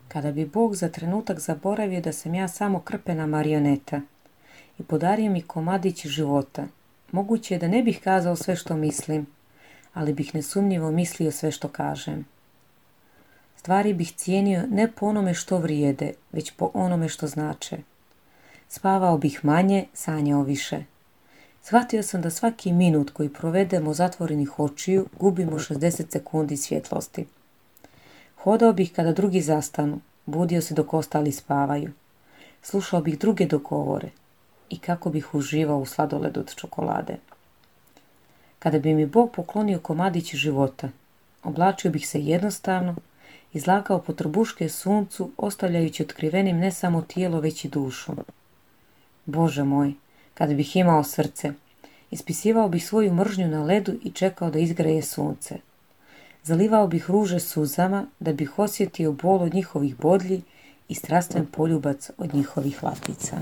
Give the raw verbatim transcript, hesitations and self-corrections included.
Kada bi Bog za trenutak zaboravio da sam ja samo krpena marioneta i podario mi komadić života, moguće je da ne bih kazao sve što mislim, ali bih nesumnjivo mislio sve što kažem. Stvari bih cijenio ne po onome što vrijede, već po onome što znače. Spavao bih manje, sanjao više. Shvatio sam da svaki minut koji provedemo zatvorenih očiju gubimo šezdeset sekundi svjetlosti. Hodao bih kada drugi zastanu, budio se dok ostali spavaju. Slušao bih druge dok govore i kako bih uživao u sladoledu od čokolade. Kada bi mi Bog poklonio komadić života, oblačio bih se jednostavno, izlagao po trbuške suncu, ostavljajući otkrivenim ne samo tijelo, već i dušu. Bože moj, kada bih imao srce, ispisivao bih svoju mržnju na ledu i čekao da izgreje sunce. Zalivao bih ruže suzama da bih osjetio bol od njihovih bodlji i strastven poljubac od njihovih latica.